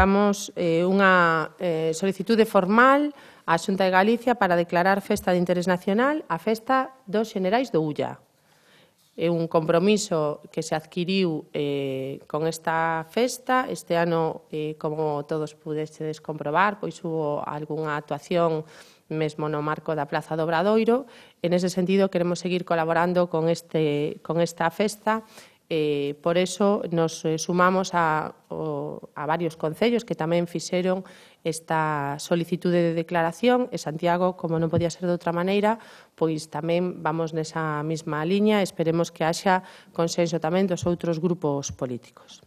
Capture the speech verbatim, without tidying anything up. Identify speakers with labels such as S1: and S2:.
S1: Damos eh, unha eh, solicitude formal á Xunta de Galicia para declarar festa de interés nacional a festa dos Xenerais do Ulla. É un compromiso que se adquiriu eh, con esta festa. Este ano, eh, como todos pudestedes comprobar, pois hubo algunha actuación mesmo no marco da Praza do Obradoiro. En ese sentido, queremos seguir colaborando con, este, con esta festa. Eh, por eso nos eh, sumamos a, o, a varios concellos que tamén fixeron esta solicitude de declaración e Santiago, como non podía ser de outra maneira, pois tamén vamos nesa mesma liña. Esperemos que haxa consenso tamén dos outros grupos políticos.